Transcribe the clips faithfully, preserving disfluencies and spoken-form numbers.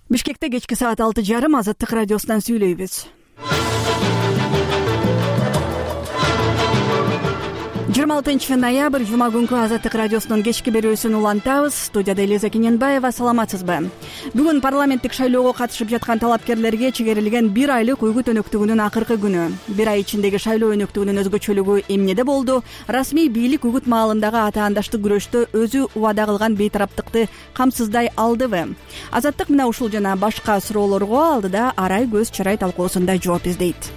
Бишкекте кечки саат алты жарым Азаттык радиосунан сүйлөйбүз. жыйырма алтынчы ноябрь жума күнкү Азаттык радиосунун кечки берүүсүн улантабыз. Студияда Элиза Кененбаева. Саламатсызбы? Бүгүн парламенттик шайлоого катышып жаткан талапкерлерге чегерилген бир айлык үгүт өнөктүгүнүн акыркы күнү. Бир ай ичиндеги шайлоо өнөктүгүнүн өзгөчөлүгү эмнеде болду? Расмий бийлик үгүт маалындагы атаандаштык күрөштө өзү убада кылган бейтараптыкты камсыздай алдыбы? Азаттык мына ушул жана башка суроолорго алдыда арай көз чарай талкуусунда жооп издейт.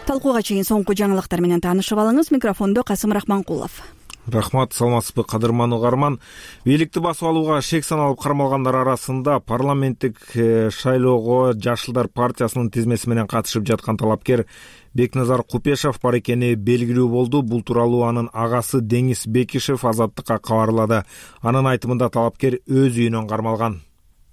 Талкууга чейин соңку жаңылыктар менен таанышып алыңыз. Микрофондо Касым Рахманкулов. Рахмат, саламатсызбы кадырман угарман. Бийликти басып алууга шек саналып кармалгандар арасында парламенттик шайлоого Жашылдар партиясынын тизмеси менен катышып жаткан талапкер Бекназар Купешов бар экени белгилүү болду. Бул тууралуу анын агасы Деңиз Бекишев Азаттыкка кабарлады. Анын айтымында талапкер өз үйүнөн кармалган.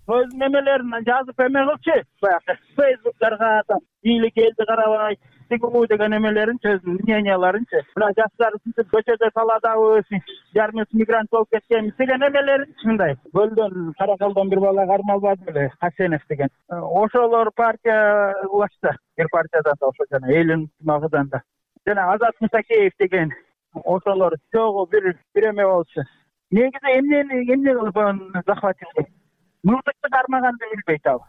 Өз немелерин жазып эме кылчы, баягы фейсбуктарга бийлик элди карабай тигүү деген эмелерин, өзүнүн мненияларынчы. Мына жаштар үчүн көчөдө саладабыз, жарымыз мигрант болуп кеткенбиз деген эмелерин мындай. Көлдөн, Каракалдан бир бала кармалбады беле, Хасенов деген. Ошолор партия улашты. Бир партиядан да ошо жана элин магыдан да. Жана Азат Мусакеев деген ошолор чогуу бир бир эме болчу. Негизи эмнени эмне кылып захватилди? Мылтыкты кармаганды билбейт ал.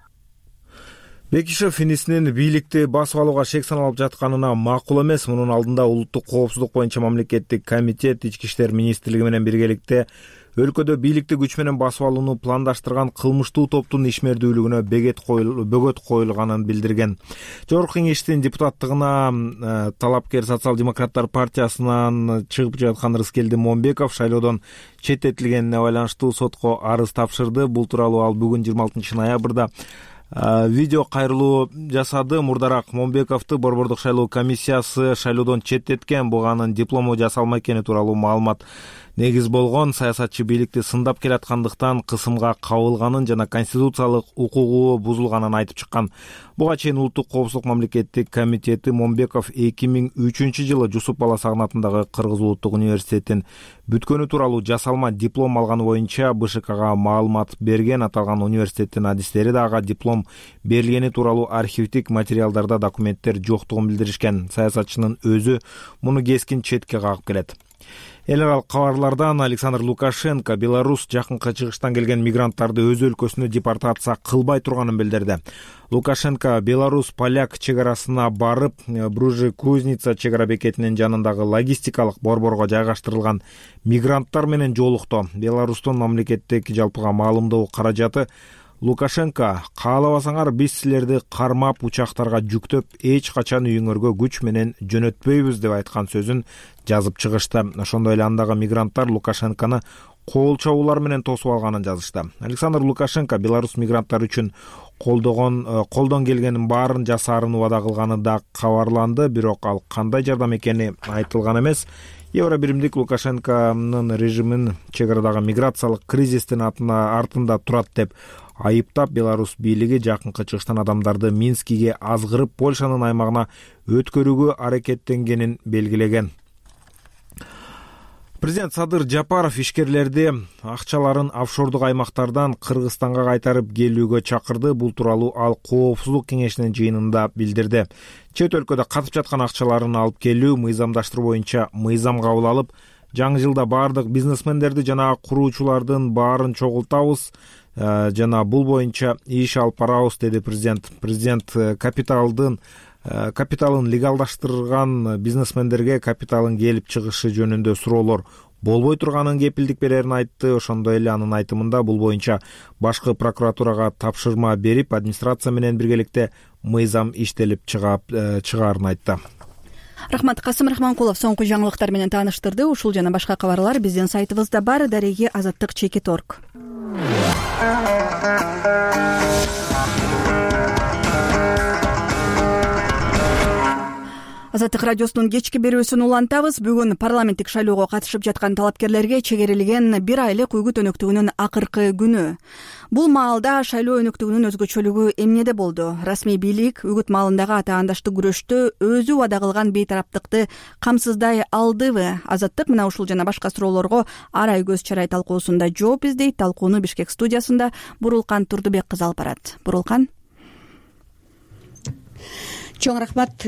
Бекишев инисинин бийликти басып алууга шек саналып жатканына макул эмес. Мунун алдында улуттук коопсуздук боюнча мамлекеттик комитет Ички иштер министрлиги менен биргеликте өлкөдө бийликти күч менен басып алууну пландаштырган кылмыштуу топтун ишмердүүлүгүнө бөгөт коюлганын билдирген. Жогорку Кеңештин депутаттыгына талапкер Социал-демократтар партиясынан чыгып жаткан Рыскелди Момбеков шайлоодон четтетилгенине байланыштуу сотко арыз тапшырды. Бул тууралуу ал бүгүн жыйырма алтынчы ноябрда видео кайрылуу жасады. Мурдараак Момбековду Борбордук шайлоо комиссиясы шайлоодон четтеткен. Буга анын диплому жасалма экени тууралуу маалымат негиз болгон. Саясатчы бийликти сындап келаткандыктан кысымга кабылганын жана конституциялык укугу бузулганын айтып чыккан. Буга чейин улуттук коопсуздук мамлекеттик комитети Момбеков эки миң үчүнчү жылы Жусуп Бала Сагынат атындагы Кыргыз улуттук университетин бүткөнү тууралуу жасалма диплом алганы боюнча БШКга маалымат берген. Аталган университеттин адистери да ага диплом берилгени тууралуу архивдик материалдарда документтер жоктугун билдиришкен. Саясатчынын өзү муну кескин четке кагып келет. Эл аралык кабарлардан Александр Лукашенко Беларусь жакынкы чыгыштан келген мигранттарды өз өлкөсүнө депортация кылбай турганын билдирди. Лукашенко Беларусь поляк чек арасына барып, Бружи-Кузница чек ара бекетинин жанындагы логистикалык борборго жайгаштырылган мигранттар менен жолукту. Беларустун мамлекеттик жалпыга маалымдоо каражаты Лукашенко каалабасаңар биз силерди кармап учактарга жүктөп эч качан үйүңөргө күч менен жөнөтпөйбүз деп айткан сөзүн жазып чыгышты. Ошондой эле андагы мигранттар Лукашенкону кол чабуулар менен тосуп алганын жазышты. Александр Лукашенко Беларусь мигранттар үчүн колдогон колдон келгенин баарын жасаарын убада кылганы да кабарланды, бирок ал кандай жардам экени айтылган эмес. Евро биримдик Лукашенконун режимин чек арадагы миграциялык кризистин артында турат деп айыптап, Беларусь бийлиги жакынкы чыгыштан адамдарды Минскиге азгырып Польшанын аймагына өткөрүүгө аракеттенгенин белгилеген. Президент Садыр Жапаров ишкерлерди акчаларын офшордук аймактардан Кыргызстанга кайтарып келүүгө чакырды. Бул тууралуу ал Коопсуздук кеңешинин жыйынында билдирди. Чет өлкөдө катып жаткан акчаларын алып келүү, мыйзамдаштыруу боюнча мыйзам кабыл алып, жаңы жылда баардык бизнесмендерди жана куруучулардын баарын чогултабыз жана бул боюнча иш алып барабыз, деди президент. Президент капиталдын капиталын легалдаштырган бизнесмендерге капиталын келип чыгышы жөнүндө суроолор болбой турганын кепилдик берерин айтты. Ошондой эле анын айтымында бул боюнча башкы прокуратурага тапшырма берип, администрация менен биргеликте мыйзам иштелип чыгаарын айтты. Рахмат, Касым Рахманкулов соңку жаңылыктар менен тааныштырды. Ушул жана башка кабарлар биздин сайтыбызда бар. Дареги Азаттык чекит точка орг. Азаттык радиосунун кечки берүүсүн улантабыз. Бүгүн парламенттик шайлоого катышып жаткан талапкерлерге чегерилген бир айлык үгүт өнөктүгүнүн акыркы күнү. Бул маалда шайлоо өнөктүгүнүн өзгөчөлүгү эмнеде болду? Расмий бийлик үгүт маалындагы атаандаштык күрөштө өзү убада кылган бейтараптыкты камсыздай алдыбы? Азаттык мына ушул жана башка суроолорго арай көз чарай талкуусунда жооп издейт. Талкууну Бишкек студиясында Бурулкан Турдубек кызы алып барат. Бурулкан. Чоң рахмат,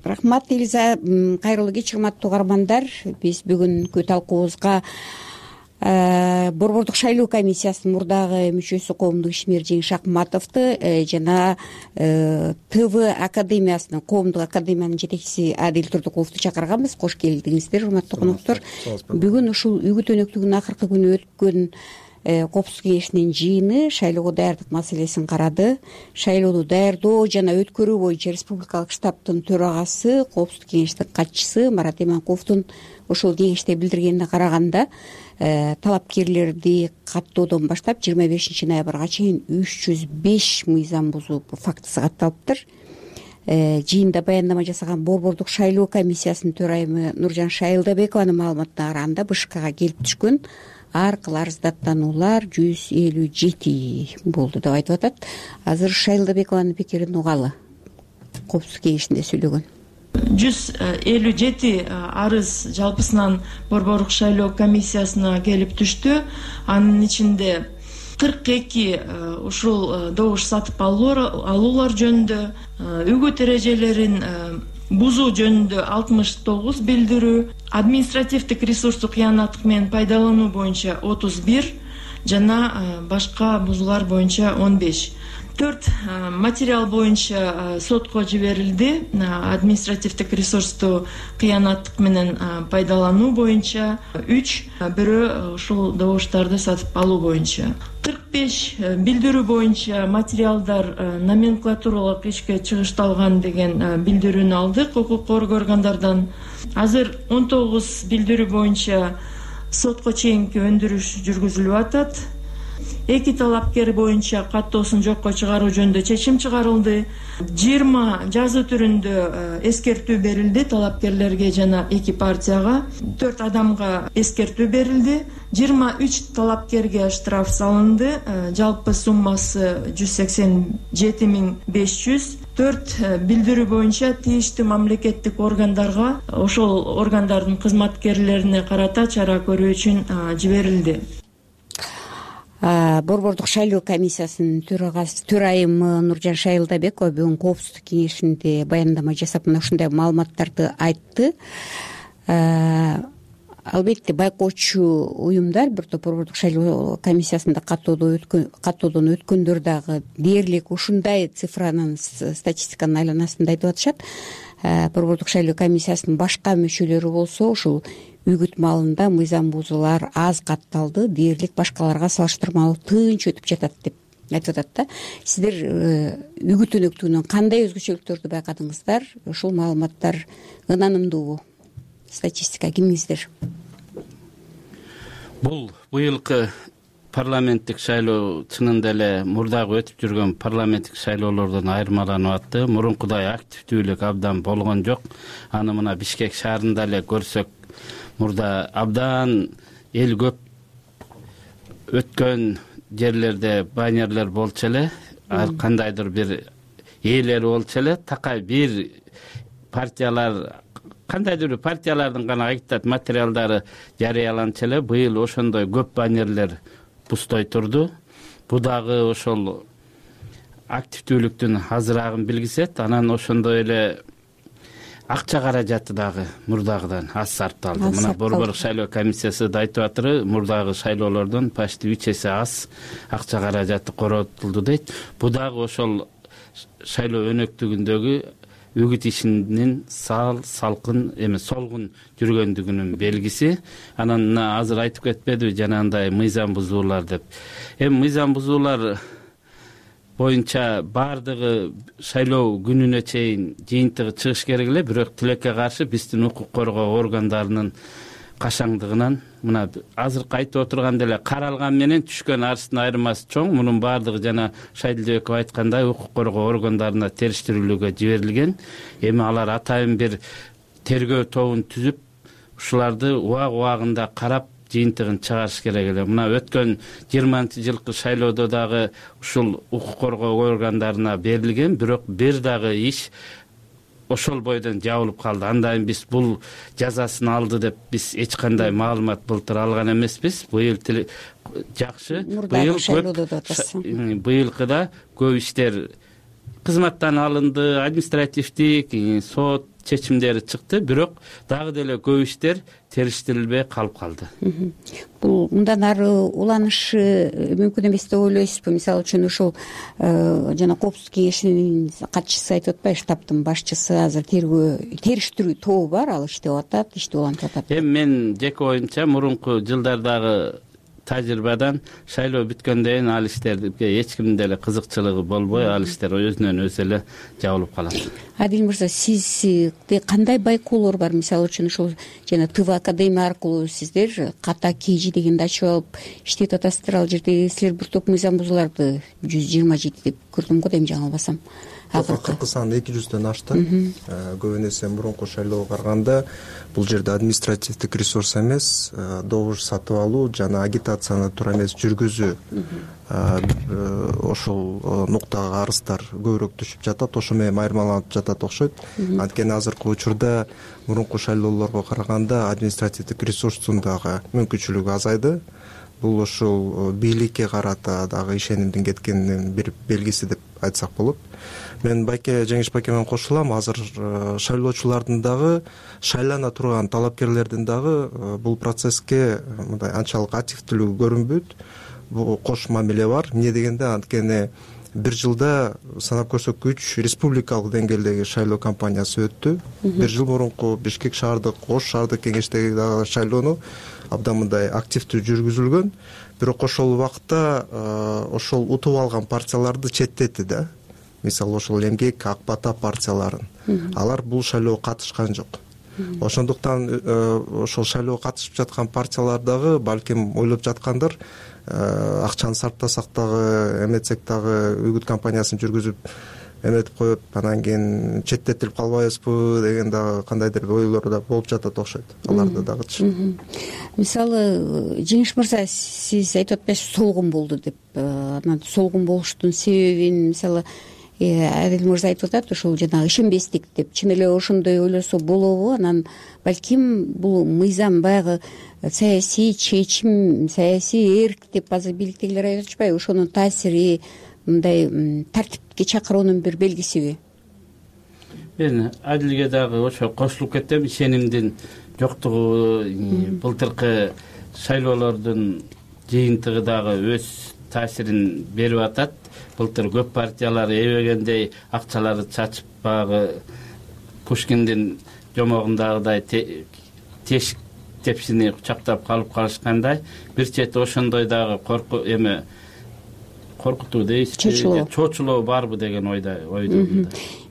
рахмат Элиза. Кайрылуу кеч, урматтуу угармандар. Биз бүгүнкү талкуубузга Борбордук шайлоо комиссиясынын мурдагы мүчөсү коомдук ишмер Жеңиш Акматовду жана ТВ академиясынын, коомдук академиянын жетекчиси Адил Турдуковду чакырганбыз. Кош келдиңиздер, урматтуу коноктор. Бүгүн ушул үгүт өнөктүгүнүн акыркы күнү өткөн Коопсуздук кеңешинин жыйыны шайлоого даярдык маселесин карады. Шайлоону даярдоо жана өткөрүү боюнча республикалык штабтын төрагасы, Коопсуздук кеңештин катчысы Марат Иманкуловдун ошол кеңеште билдиргенине караганда, талапкерлерди каттоодон баштап жыйырма бешинчи ноябрга чейин үч жүз беш мыйзам бузуу фактысы катталыптыр. Жыйында баяндама жасаган Борбордук шайлоо комиссиясынын төрайымы Нуржан Шайылдабекованын маалыматына караганда, БШКга келип түшкөн аркылуу арыздаттануулар жүз элүү жети болду деп айтып атат. Азыр Шайылдабекованын пикирин угалы. Коопсуздук кеңешинде сөйлөгөн. жүз элүү жети арыз жалпысынан Борбордук шайлоо комиссиясына келип түштү. Анын ичинде кырк эки ушул добуш сатып алуулар жөнүндө, үгүт эрежелерин бузуу жөнүндө алтымыш тогуз билдирүү, административдик ресурсту кыянаттык менен пайдалануу боюнча отуз бир жана башка бузуулар боюнча он беш. төрт материал боюнча сотко жиберилди. Административдик ресурсту кыянаттык менен пайдалануу боюнча үч, бирөө ушул добуштарды сатып алуу боюнча. кырк беш билдирүү боюнча материалдар номенклатуралык ишке чыгышталган деген билдирүүнү алдык укук коргоо органдардан. Азыр он тогуз билдирүү боюнча сотко чейинки өндүрүш жүргүзүлүп атат. Эки талапкер боюнча каттоосун жокко чыгаруу жөнүндө чечим чыгарылды. жыйырма жазуу түрүндө эскертүү берилди талапкерлерге жана эки партияга. төрт адамга эскертүү берилди. жыйырма үч талапкерге штраф салынды. Жалпы суммасы жүз сексен жети миң беш жүз. төрт билдирүү боюнча тийиштүү мамлекеттик органдарга, ошол органдардын кызматкерлерине карата чара көрүү үчүн жиберилди. Борбордук шайлоо комиссиясынын төрайымы Нуржан Шайылдабекова бүгүн Коопсуздук кеңешинде баяндама жасап, мына ушундай маалыматтарды айтты. Албетте байкоочу уюмдар, бир топ Борбордук шайлоо комиссиясында каттоодон өткөндөр дагы дээрлик ушундай цифранын, статистиканын айланасында айтып атышат. Борбордук шайлоо комиссиясынын башка мүчөлөрү болсо ушул үгүт маалында мыйзам бузуулар аз катталды, дээрлик башкаларга салыштырмалуу тынч өтүп жатат деп айтып атат да. Сиздер үгүт өнөктүгүнөн кандай өзгөчөлүктөрдү байкадыңыздар? Ушул маалыматтар ынанымдуубу? Статистика кимиңиздер? Бул быйылкы парламенттик шайлоо чынында эле мурдагы өтүп жүргөн парламенттик шайлоолордон айырмаланып атты. Мурункудай активдүүлүк абдан болгон жок. Аны мына Бишкек шаарында эле көрсөк, мурда абдан эл көп өткөн жерлерде баннерлер болчу эле, ар кандайдыр бир ээлери болчу эле. Такай бир партиялар, кандайдыр бир партиялардын гана агитат материалдары жарыяланчу эле. Быйыл ошондой көп баннерлер пустой турду. Бу дагы ошол активдүүлүктүн азыраагын билгизет. Анан ошондой эле акча каражаты дагы мурдагыдан аз сарпталды. Мына Борбордук шайлоо комиссиясы да айтып атыр, мурдагы шайлоолордон почти үч эсе аз акча каражаты коротулду дейт. Бу дагы ошол шайлоо өнөктүгүндөгү үгүт ишинин сал, салкын, эми солгун жүргөндүгүнүн белгиси. Анан мына азыр айтып кетпедиби жанагындай мыйзам бузуулар деп. Эми мыйзам бузуулар боюнча баардыгы шайлоо күнүнө чейин жыйынтыгы чыгыш керек эле, бирок тилекке каршы биздин укук коргоо органдарынын кашаңдыгынан мына азыркы айтып отурган деле каралган менен түшкөн арыздын айырмасы чоң. Мунун баардыгы жана Шайдилбеков айткандай укук коргоо органдарына териштирүүлүгө жиберилген. Эми алар атайын бир тергөө тобун түзүп, ушуларды убак убагында карап жыйынтыгын чыгарыш керек эле. Мына өткөн жыйырманчы жылкы шайлоодо дагы ушул укук коргоо органдарына берилген, бирок бир дагы иш ошол бойдон жабылып калды. Андан биз бул жазасын алды деп биз эч кандай маалымат былтыр алган эмеспиз. Быйыл жакшы, быйыл көп, быйылкыда көп иштер кызматтан алынды, административдик, сот чечимдери чыкты, бирок дагы деле көп иштер териштирилбей калып калды. Бул мындан ары уланышы мүмкүн эмес деп ойлойсузбу? Мисалы үчүн ушул жана коопсуздук кеңешинин катчысы айтып атпайбы, штабтын башчысы азыр тергөө териштирүү тобу бар, ал иштеп атат, ишти улантып атат. Эми мен жеке оюмча мурунку жылдардагы тажрыйбадан шайлоо бүткөндөн кийин ал иштерге эч кимдин деле кызыкчылыгы болбой, ал иштер өзүнөн өзү эле жабылып калат. Адил мырза, сизде кандай байкоолор бар? Мисалы үчүн ушул жана ТВ академия аркылуу сиздер ката кийжи дегенди ачып алып иштеп атасыздар. Ал жерде силер бир топ мыйзам бузууларды жүз жыйырма жети деп көрдүм го, дейм, жаңылбасам. Акыркы сан эки жүздөн ашты. Көбүн эсе мурунку шайлоого караганда бул жерде административдик ресурс эмес, добуш сатып алуу жана агитацияны туура эмес жүргүзүү, ошол нуктага арыздар көбүрөөк түшүп жатат, ошо менен айырмаланып жатат окшойт. Анткени азыркы учурда мурунку шайлоолорго караганда административдик ресурстун дагы мүмкүнчүлүгү азайды. Бул ошол бийликке карата дагы ишенимдин кеткенинин бир белгиси деп айтсак болот. Мен Байке Жеңиш Байке менен кошулам. Азыр шайлоочулардын дагы, шайлана турган талапкерлердин дагы бул процесске мындай анчалык активдүүлүгү көрүнбөйт. Бул кош мамиле бар. Эмне дегенде, анткени бир жылда санап көрсөткүч республикалык деңгээлдеги шайлоо кампаниясы өттү. Бир жыл мурунку Бишкек шаардык, Ош шаардык кеңештеги дагы шайлоону абдан мындай активдүү жүргүзүлгөн. Бирок ошол убакта ошол утуп алган партияларды четтетти да. Мисалы ошол Эмгек, Ак Бата партияларын. Алар бул шайлоого катышкан жок. Ошондуктан ошол шайлоого катышып жаткан партиялар дагы балким ойлоп жаткандыр, акчаны сарптасак дагы, эметсек дагы үгүт кампаниясын жүргүзүп эметип коюп, анан кийин четтетилип калбайбызбы деген дагы кандайдыр ойлор да болуп жатат окшойт аларда дагычы. Мисалы, Жеңиш мырза, сиз айтып атпайсызбы солгун болду деп. Анан солгун болуштун себебин мисалы Адил мырза айтып атат, ошол жанагы ишенбестик деп. Чын эле ошондой ойлосо болобу? Анан балким бул мыйзам баягы саясий чечим, саясий эрк деп азыр бийликтегилер айтып атышпайбы? Ошонун таасири, мындай тартипке чакыруунун бир белгисиби? Мен Адилге дагы ошо кошулуп кетем. Ишенимдин жоктугу былтыркы шайлоолордун жыйынтыгы дагы өз таасирин берип атат. Былтыр көп партиялар эбегендей акчаларды чачып, баягы Пушкиндин жомогундагыдай тешик тепсини кучактап калып калышкандай, бир чети ошондой дагы корку эме коркутуу дейсизби, чочулоо барбы деген ойдо ойдо.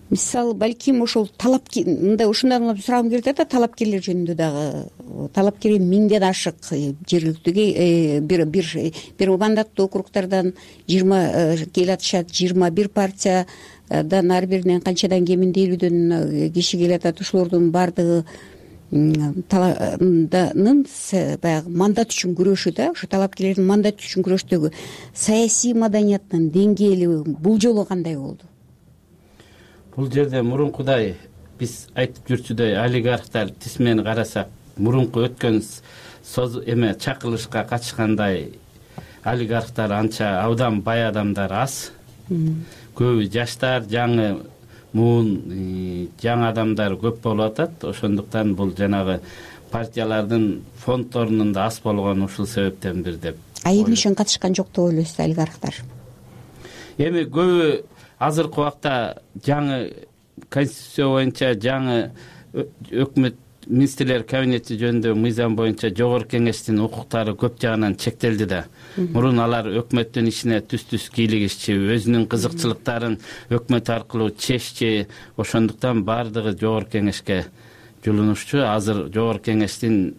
Мисалы, балким ошол талапкер, мындай ушундан улам сурагым келип атат, талапкерлер жөнүндө дагы. Талапкер миңден ашык жергиликтүү бир бир бир мандаттуу округдардан жыйырма келип атышат, жыйырма бир партиядан ар биринен канчадан кеминде элүүдөн киши келип атат. Ошолордун баардыгы талаанын баягы мандат үчүн күрөшү да, ошо талапкерлердин мандат үчүн күрөштөгү саясий маданияттын деңгээли бул жолу кандай болду? Бул жерде мурункудай биз айтып жүрчүдөй олигархтар тисмени карасак, мурунку өткөн соз эме чакырылышка катышкандай олигархтар анча абдан бай адамдар аз. Көбү жаштар, жаңы муун, жаңы адамдар көп болуп атат. Ошондуктан бул жанагы партиялардын фонддорунун да аз болгону ушул себептен бир деп. А эмне үчүн катышкан жок деп ойлойсуз олигархтар? Эми көбү азыркы убакта жаңы конституция боюнча жаңы өкмөт министрлер кабинети жөнүндө мыйзам боюнча жогорку кеңештин укуктары көп жагынан чектелди да. Мурун алар өкмөттүн ишине түз-түз кийлигишчи, өзүнүн кызыкчылыктарын өкмөт аркылуу чеччи, ошондуктан баардыгы жогорку кеңешке жулунушчу. Азыр жогорку кеңештин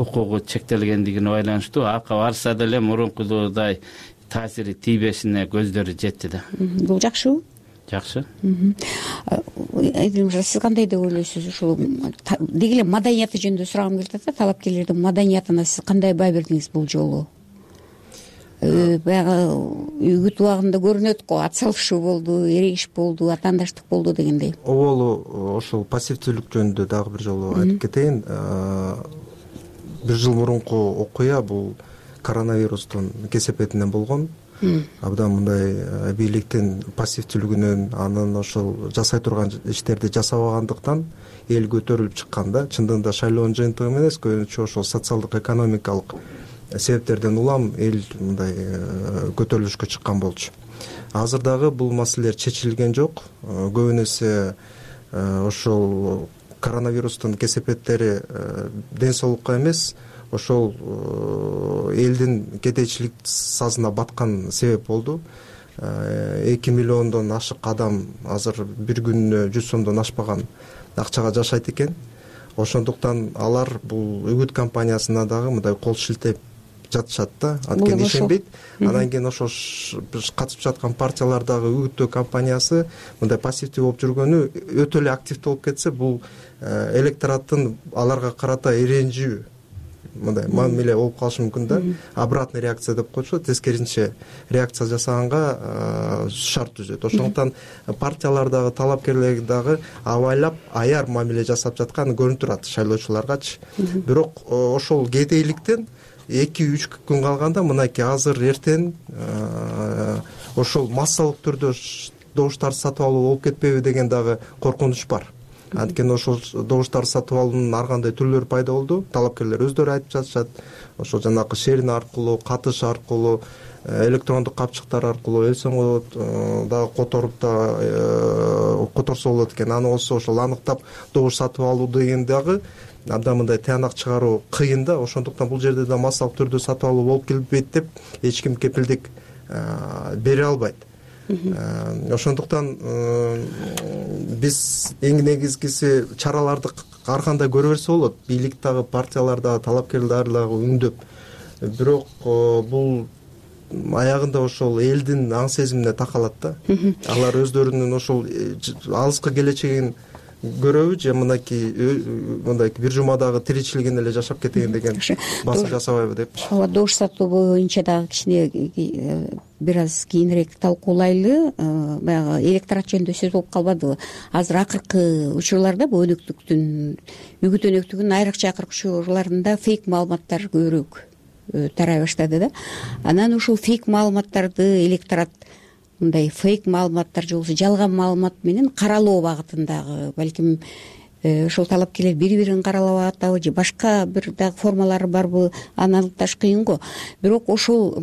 укугу чектелгендигине байланыштуу акы барса деле мурункудагыдай таасири тийбешине көздөрү жетти да. Бул жакшыбы? Жакшы. Айдын мырза, сиз кандай деп ойлойсуз? Ушул деги эле маданияты жөнүндө сурагым келип атат. Талапкерлердин маданиятына сиз кандай баа бердиңиз бул жолу? Баягы үгүт убагында көрүнөт го, ат салышуу болду, эрегиш болду, атаандаштык болду дегендей. Оболу ошол пассивдүүлүк жөнүндө дагы бир жолу айтып кетейин. Бир жыл мурунку окуя бул коронавирустун кесепетинен болгон. Абдан мындай бийликтин пассивдүүлүгүнөн, анын ошол жасай турган иштерди жасабагандыктан эл көтөрүлүп чыккан да. Чындыгында шайлоонун жыйынтыгы эмес, көбүнчө ошол социалдык экономикалык себептерден улам эл мындай көтөрүлүшкө чыккан болчу. Азыр дагы бул маселелер чечилген жок. Көбүн эсе ошол коронавирустун кесепеттери ден соолукка эмес, ошол элдин кедейчилик сазына баткан себеп болду. эки миллиондон ашык адам азыр бир күнүнө жүз сомдон ашпаган акчага жашайт экен. Ошондуктан алар бул үгүт компаниясына дагы мындай кол шилтеп жатышат да. Анткени ишенбейт. Анан кийин ошол катышып жаткан партиялар дагы үгүттөө компаниясы мындай пассивдүү болуп жүргөнү өтө эле активдүү болуп кетсе, бул электораттын аларга карата иренжүү мындай мамиле болуп калышы мүмкүн да. Обратный реакция деп коечу, тескерисинче реакция жасаганга шарт түзөт. Ошондуктан партиялар дагы, талапкерлер дагы абайлап аяр мамиле жасап жатканы көрүнүп турат шайлоочуларгачы. Бирок ошол кедейликтен эки үч күн калганда мынакей азыр эртең ошол массалык түрдө добуштарды сатып алуу болуп кетпейби деген дагы коркунуч бар. Анткени ошол добуштарды сатып алуунун ар кандай түрлөрү пайда болду. Талапкерлер өздөрү айтып жатышат. Ошол жанагы шерин аркылуу, катыш аркылуу, электрондук капчыктар аркылуу эл соңго дагы которуп да которсо болот экен. Аны болсо ошол аныктап добуш сатып алуу деген дагы абдан мындай тыянак чыгаруу кыйын да. Ошондуктан бул жерде да массалык түрдө сатып алуу болуп келбейт деп эч ким кепилдик бере албайт. Ошондуктан биз эң негизгиси чараларды ар кандай көрө берсе болот. Бийлик дагы, партиялар дагы, талапкерлер дагы үндөп. Бирок бул аягында ошол элдин аң сезимине такалат да. Алар өздөрүнүн ошол алыскы келечегин көрөбү же мынакей мындай бир жумадагы тиричилигин эле жашап кетейин деген басым жасабайбы депчи. Ооба, добуш сатуу боюнча дагы кичине бир аз кийинирээк талкуулайлы. Баягы электорат жөнүндө сөз болуп калбадыбы? Азыр акыркы учурларда бул өнөктүктүн, үгүт өнөктүгүнүн айрыкча акыркы учурларында фейк маалыматтар көбүрөөк тарай баштады да. Анан ушул фейк маалыматтарды электорат мындай фейк маалыматтар же болбосо жалган маалымат менен каралоо багытындагы балким ошол талапкерлер бири-бирин каралап атабы же башка бир дагы формалары барбы, аны аныкташ кыйын го. Бирок ошол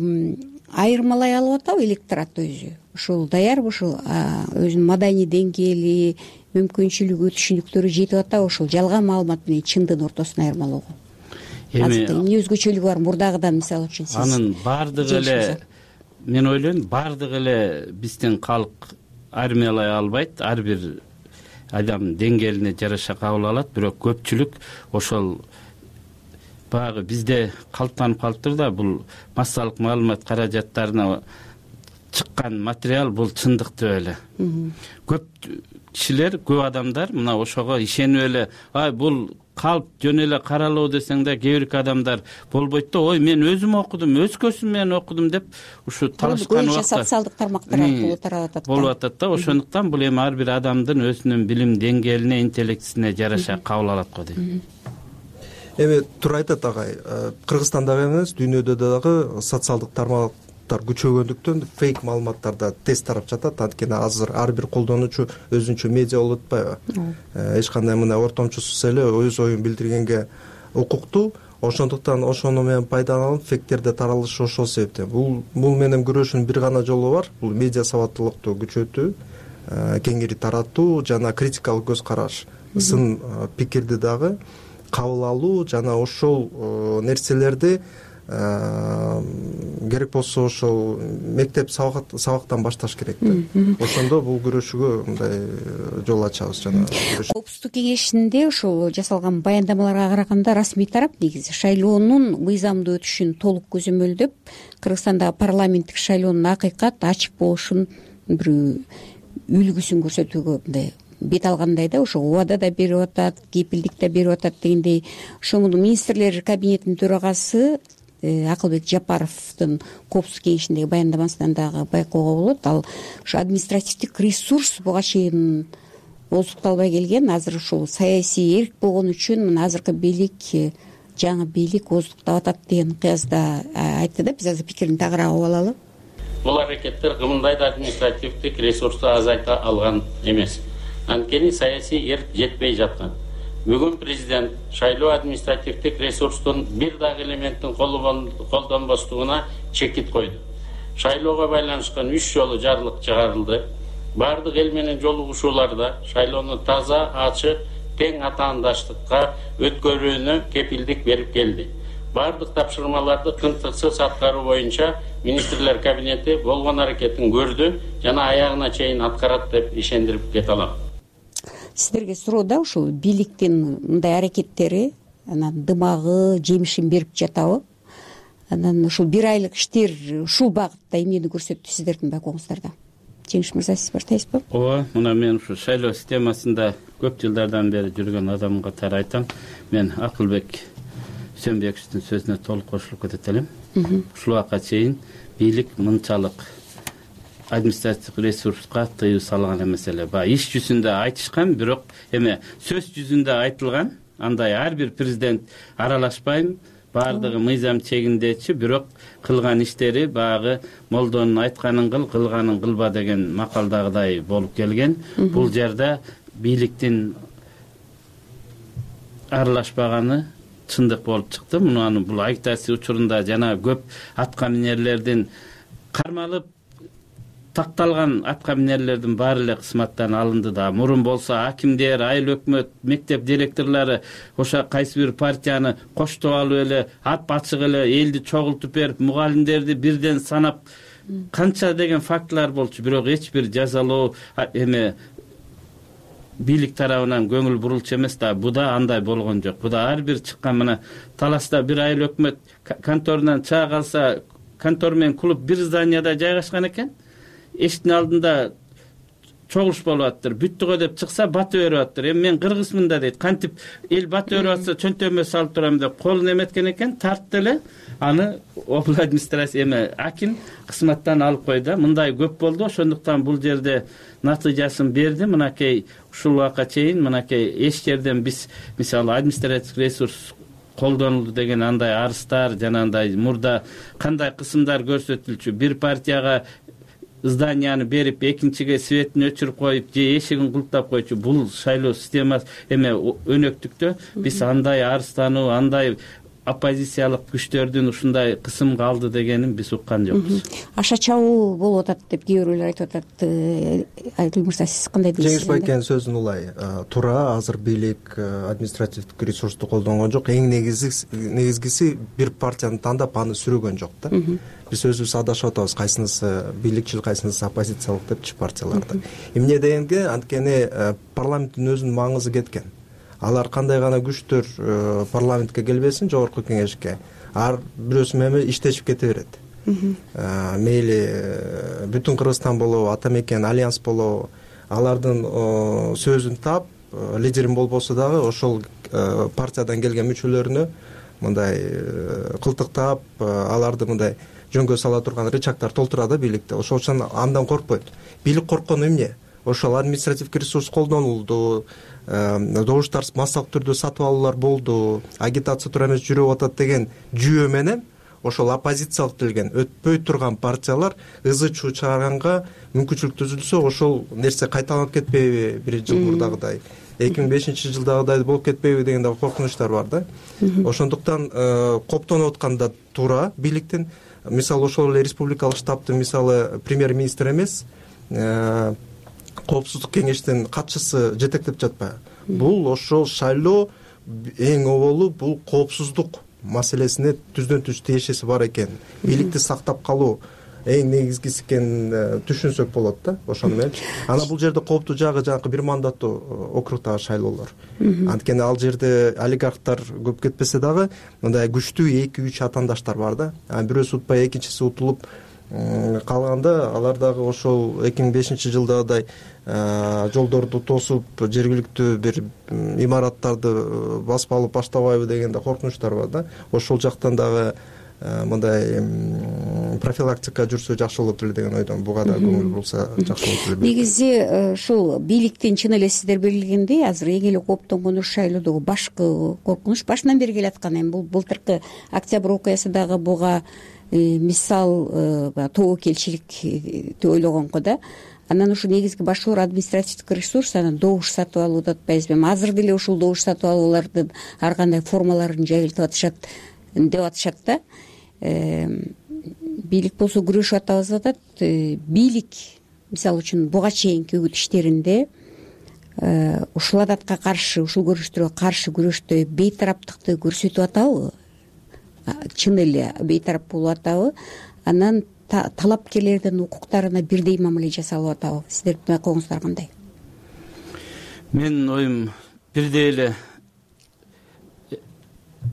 айырмалай алып атабы электорат өзү? Ушул даярбы, ушул өзүнүн маданий деңгээли, мүмкүнчүлүгү, түшүнүктөрү жетип атабы ошол жалган маалымат менен чындын ортосун айырмалоого? Эми эмне өзгөчөлүгү бар мурдагыдан, мисалы үчүн сиз? Анын баардыгы эле, мен ойлойм, баардыгы эле биздин калк армиялай албайт. Ар бир адам деңгээлине жараша кабыл алат. Бирок көпчүлүк ошол баягы бизде калыптанып калыптыр да, бул массалык маалымат каражаттарына чыккан материал бул чындык деп эле. Көп кишилер, көп адамдар мына ошого ишенип эле, ай бул калп жөн эле каралоо десең да, кээ бир адамдар болбойт да, ой мен өзүм окудум, өз көзүм менен окудум деп ушу талашкан убакта социалдык тармактар аркылуу тарап атат. Болуп атат да. Ошондуктан бул эми ар бир адамдын өзүнүн билим деңгээлине, интеллектисине жараша кабыл алат го дейм. Эми туура айтат агай. Кыргызстанда эмес, дүйнөдө дагы социалдык тармактар күчөгөндүктөн фейк маалыматтар да тез тарап жатат. Анткени азыр ар бир колдонуучу өзүнчө медиа болуп атпайбы? Эч кандай мына ортомчусуз эле өз оюн билдиргенге укуктуу. Ошондуктан ошону менен пайдаланып фейктерде таралышы ошол себептен. Бул бул менен күрөшүүнүн бир гана жолу бар. Бул медиа сабаттуулукту күчөтүү, кеңири таратуу жана критикалык көз караш, сын пикирди дагы кабыл алуу жана ошол нерселерди керек болсо ошол мектеп сабактан башташ керек да. Ошондо бул күрөшүүгө мындай жол ачабыз. Жана Коопсуздук кеңешинде ошол жасалган баяндамаларга караганда расмий тарап негизи шайлоонун мыйзамдуу өтүшүн толук көзөмөлдөп, Кыргызстандагы парламенттик шайлоонун акыйкат ачык болушун бир үлгүсүн көрсөтүүгө мындай бет алгандай да. Ошо убада да берип атат, кепилдик да берип атат дегендей. Ошо министрлер кабинетинин төрагасы Акылбек Жапаровдун Коопсуздук кеңешиндеги баяндамасынан дагы байкоого болот. Ал ушу административдик ресурс буга чейин ооздукталбай келген. Азыр ушул саясий эрк болгон үчүн мына азыркы бийлик, жаңы бийлик ооздуктап атат деген кыязда айтты да. Биз азыр пикирин тагыраак угуп алалы. Бул аракеттер кымындай да административдик ресурсту азайта алган эмес. Анткени саясий эрк жетпей жаткан. Бүгүн президент шайлоо административдик ресурстун бир дагы элементтин колдонбостугуна чекит койду. Шайлоого байланышкан үч жолу жарлык чыгарылды. Бардык эл менен жолугушууларда шайлоону таза, ачык, тең атаандаштыкка өткөрүүнү кепилдик берип келди. Бардык тапшырмаларды кынтыксыз аткаруу боюнча министрлер кабинети болгон аракетин көрдү жана аягына чейин аткарат деп ишендирип кете алам. Сиздерге суроо да, ушул бийликтин мындай аракеттери анан дымагы жемишин берип жатабы? Анан ушул бир айлык иштер ушул багытта эмнени көрсөттү сиздердин байкооңуздарда? Жеңиш мырза, сиз баштайсызбы? Ооба, мына мен ушу шайлоо системасында көп жылдардан бери жүргөн адам катары айтам. Мен Акылбек Сөнбековдун сөзүнө толук кошулуп кетет элем. Ушул убакка чейин бийлик мынчалык административдик ресурска тыюу салган эмес эле. Баягы иш жүзүндө айтышкан, бирок эме сөз жүзүндө айтылган. Андай ар бир президент аралашпайм, баардыгы мыйзам чегиндечи, бирок кылган иштери баягы молдонун айтканын кыл, кылганын кылба деген макалдагыдай болуп келген. Бул жерде бийликтин аралашпаганы чындык болуп чыкты. Мунун бул агитация учурунда жана көп атка минерлердин кармалып такталган атка минерлердин баары эле кызматтан алынды да. Мурун болсо акимдер, айыл өкмөт, мектеп директорлору ошо кайсы бир партияны коштоп алып эле, ап ачык эле элди чогултуп берип, мугалимдерди бирден санап канча деген фактылар болчу. Бирок эч бир жазалоо эме бийлик тарабынан көңүл бурулчу эмес да. Буда андай болгон жок. Буда ар бир чыккан мына Таласта бир айыл өкмөт конторунан чыга калса, контор менен клуб бир зданияда жайгашкан экен. Эшиктин алдында чогулуш болуп атыптыр. Бүттүгө деп чыкса батып берип атыптыр. Эми мен кыргызмын да дейт. Кантип эл батып берип атса чөнтөмө салып турам деп колун эметкен экен, тартты эле. Аны областный администрация эме аким кызматтан алып койду. Мындай көп болду. Ошондуктан бул жерде натыйжасын берди. Мынакей ушул убакка чейин мынакей эч жерден биз мисалы административдик ресурс колдонулду деген андай арыздар жана андай мурда кандай кысымдар көрсөтүлчү. Бир партияга зданияны берип, экинчиге светин өчүрүп коюп, же эшигин култап койчу. Бул шайлоо системасы эме өнөктүктө биз андай арыздануу, андай оппозициялык күчтөрдүн ушундай кысымга алды дегенин биз уккан жокпуз. Аша чабуу болуп атат деп кээ бирлер айтып атат. Айгүл мырза, сиз кандай дейсиз? Жеңиш байкенин сөзүн улай туура. Азыр бийлик административдик ресурсту колдонгон жок. Эң негизгиси бир партияны тандап аны сүрөгөн жок да. Биз өзүбүз адашып атабыз, кайсынысы бийликчил, кайсынысы оппозициялык депчи партияларды. Эмне дегенге, анткени парламенттин өзүнүн маңызы кеткен. Алар кандай гана күчтөр парламентке келбесин, жогорку кеңешке, ар бирөөсү менен иштешип кете берет. Мейли бүтүн Кыргызстан болобу, ата мекен альянс болобу, алардын сөзүн таап, лидерин болбосо дагы ошол партиядан келген мүчөлөрүнө мындай кылтыктап, аларды мындай жөнгө сала турган рычагдар толтура да бийликте. Ошол үчүн андан коркпойт. Бийлик корккону эмне? Ошол административдик ресурс колдонулду, добуштар массалык түрдө сатып алуулар болду, агитация туура эмес жүрүп атат деген жүйө менен ошол оппозициялык делген өтпөй турган партиялар ызы чуу чыгарганга мүмкүнчүлүк түзүлсө, ошол нерсе кайталанып кетпейби? Бир жыл мурдагыдай, эки миң бешинчи жылдагыдай болуп кетпейби деген дагы коркунучтар бар да. Ошондуктан коптонуп аткан да туура бийликтин. Мисалы ошол эле республикалык штабтын мисалы премьер-министр эмес, коопсуздук кеңештин катчысы жетектеп жатпайбы? Бул ошол шайлоо эң оболу бул коопсуздук маселесине түздөн түз тиешеси бар экен. Бийликти сактап калуу эң негизгиси экенин түшүнсөк болот да, ошону мененчи. Анан бул жерде кооптуу жагы жанагы бир мандаттуу округдагы шайлоолор. Анткени ал жерде олигархтар көп кетпесе дагы мындай күчтүү эки үч атаандаштар бар да. Бирөөсү утпай экинчиси утулуп калганда алар дагы ошол эки миң бешинчи жылдагыдай жолдорду тосуп жергиликтүү бир имараттарды басып алып баштабайбы деген да коркунучтар бар да. Ошол жактан дагы мындай профилактика жүрсө жакшы болот эле деген ойдон, буга да көңүл бурулса жакшы болот эле. Негизи ушул бийликтин чын эле сиздер белгилегендей азыр эң эле кооптонгону шайлоодогу башкы коркунуч башынан бери келаткан. Эми бул былтыркы октябрь окуясы дагы буга мисал тобокелчилик деп ойлогонго да. Анан ушу негизги башкылар административдик ресурс, анан добуш сатып алуу деп атпайбызбы. Эми азыр деле ушул добуш сатып алуулардын ар кандай формаларын жайылтып атышат деп атышат да. Бийлик болсо күрөшүп атабыз деп атат. Бийлик мисалы үчүн буга чейинки үгүт иштеринде ушул адатка каршы, ушул көрүнүштөргө каршы күрөштө бейтараптыкты көрсөтүп атабы? Чын эле бейтарап болуп атабы? Анан талапкерлердин укуктарына бирдей мамиле жасалып атабы? Сиздердин байкооңуздар кандай? Менин оюм бирдей эле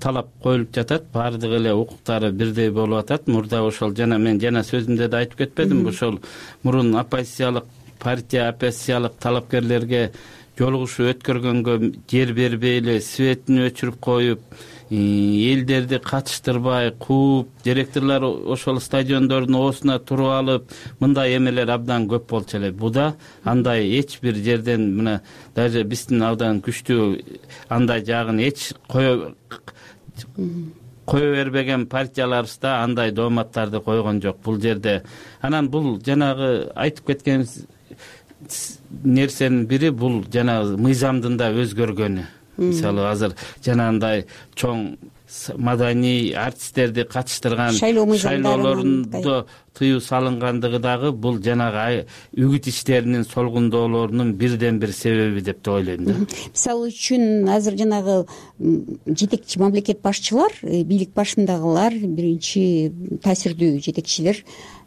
талап коюлуп жатат, баардык эле укуктары бирдей болуп атат. Мурда ошол жана мен жана сөзүмдө да айтып кетпедимби, ошол мурун оппозициялык партия, оппозициялык талапкерлерге жолугушуу өткөргөнгө жер бербей эле светин өчүрүп коюп, элдерди катыштырбай кууп, директорлор ошол стадиондордун оосуна туруп алып, мындай эмелер абдан көп болчу эле. Буда андай эч бир жерден мына даже биздин абдан күчтүү андай жагын эч кое кое бербеген партияларыбыз да андай дооматтарды койгон жок бул жерде. Анан бул жанагы айтып кеткен нерсенин бири бул жанагы мыйзамдын да өзгөргөнү. Мисалы азыр жанагындай чоң маданий артисттерди катыштырган шайлоолорунда тыюу салынгандыгы дагы бул жанагы үгүт иштеринин солгундоолорунун бирден бир себеби деп да ойлойм да. Мисалы үчүн азыр жанагы жетекчи мамлекет башчылар, бийлик башындагылар, биринчи таасирдүү жетекчилер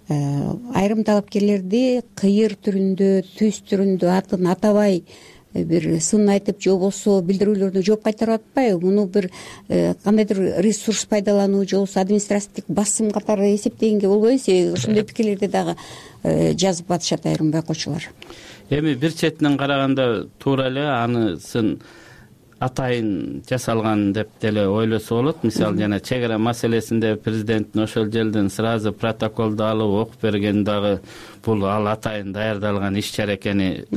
айрым талапкерлерди кыйыр түрүндө, түз түрүндө атын атабай бир сын айтып же болбосо билдирүүлөрдү жооп кайтарып атпайбы? Муну бир кандайдыр ресурс пайдалануу же болбосо административдик басым катары эсептегенге болбойбу? Ошондой пикирлерди дагы жазып атышат айрым байкоочулар. Эми бир четинен караганда туура эле анысын атайын жасалган деп деле ойлосо болот. Мисалы жана чек ара маселесинде президенттин ошол жерден сразу протоколду алып окуп берген дагы бул ал атайын даярдалган иш чара экени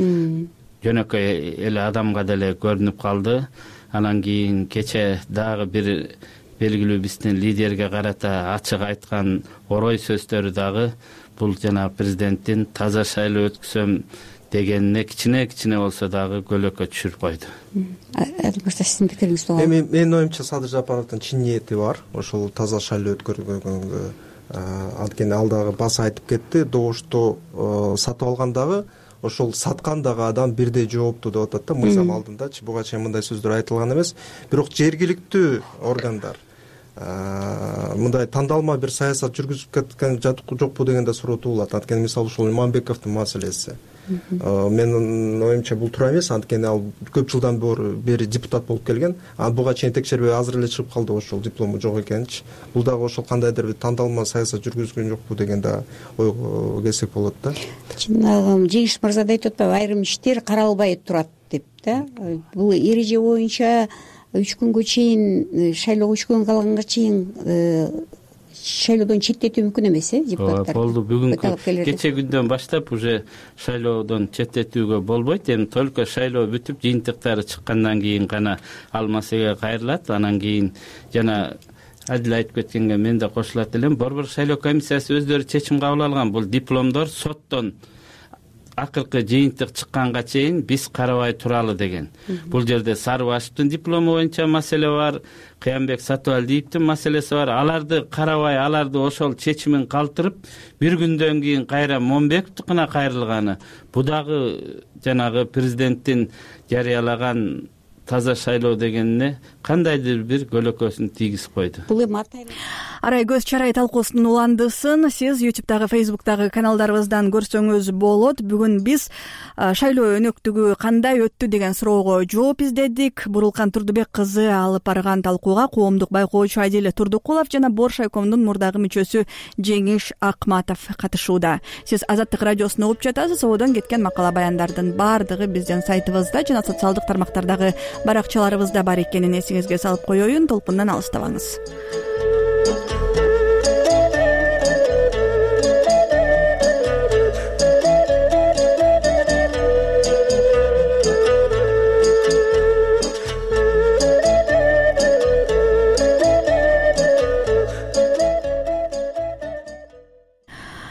жөнөкөй эле адамга деле көрүнүп калды. Анан кийин кече дагы бир белгилүү биздин лидерге карата ачык айткан орой сөздөрү дагы бул жана президенттин таза шайлоо өткүзөм дегенине кичине кичине болсо дагы көлөккө түшүрүп койду. Мырза, сиздин пикириңиз кандай? Эми менин оюмча Садыр Жапаровдун чын ниети бар. Ошол таза шайлоо өткөргөнгө анткени ал дагы баса айтып кетти. Добушту сатып алгандагы ошол саткан дагы адам бирдей жооптуу деп атат да, мыйзам алдындачы. Буга чейин мындай сөздөр айтылган эмес. Бирок жергиликтүү органдар мындай тандалма бир саясат жүргүзүп кеткен жокпу деген да суроо туулат. Анткени мисалы ушул Иманбековдун маселеси. Менин оюмча бул туура эмес, анткени ал көп жылдан бери депутат болуп келген. Анан буга чейин текшербей азыр эле чыгып калды ошол диплому жок экенчи. Бул дагы ошол кандайдыр бир тандалма саясат жүргүзгөн жокпу деген да ойго келсек болот да. Жанагы Жеңиш мырза да айтып атпайбы, айрым иштер каралбай турат деп да. Бул эреже боюнча үч күнгө чейин, шайлоого үч күн калганга чейин шайлоодон четтетүү мүмкүн эмес, э, депутаттар? Болду. Бүгүнкү кече күндөн баштап уже шайлоодон четтетүүгө болбойт. Эми только шайлоо бүтүп, жыйынтыктары чыккандан кийин гана ал маселеге кайрылат. Анан кийин жана Адил айтып кеткенге мен да кошулат элем. Борбор шайлоо комиссиясы өздөрү чечим кабыл алган. Бул дипломдор соттон акыркы жыйынтык чыкканга чейин биз карабай туралы деген. Бул жерде Сарыбашевдин диплому боюнча маселе бар, Кыянбек Сатыбалдиевдин маселеси бар. Аларды карабай, аларды ошол чечимин калтырып, бир күндөн кийин кайра Момбековдукуна кайрылганы. Бу дагы жанагы президенттин жарыялаган таза шайлоо дегенине кандайдыр бир көлөкөсүн тийгизип койду. Бул эми арай көз чарай талкуусунун уландысын сиз ютубтагы фейсбуктагы каналдарыбыздан көрсөңүз болот. Бүгүн биз шайлоо өнөктүгү кандай өттү деген суроого жооп издедик. Бурулкан Турдубек кызы алып барган талкууга коомдук байкоочу Адиля Турдукулов жана Борш айкомдун мурдагы мүчөсү Жеңиш Акматов катышууда. Сиз Азаттык радиосун угуп жатасыз. Ободон кеткен макала баяндардын баардыгы биздин сайтыбызда жана социалдык тармактардагы баракчаларыбызда бар экенин эсиңизге салып коеюн. Толкундан алыстабаңыз.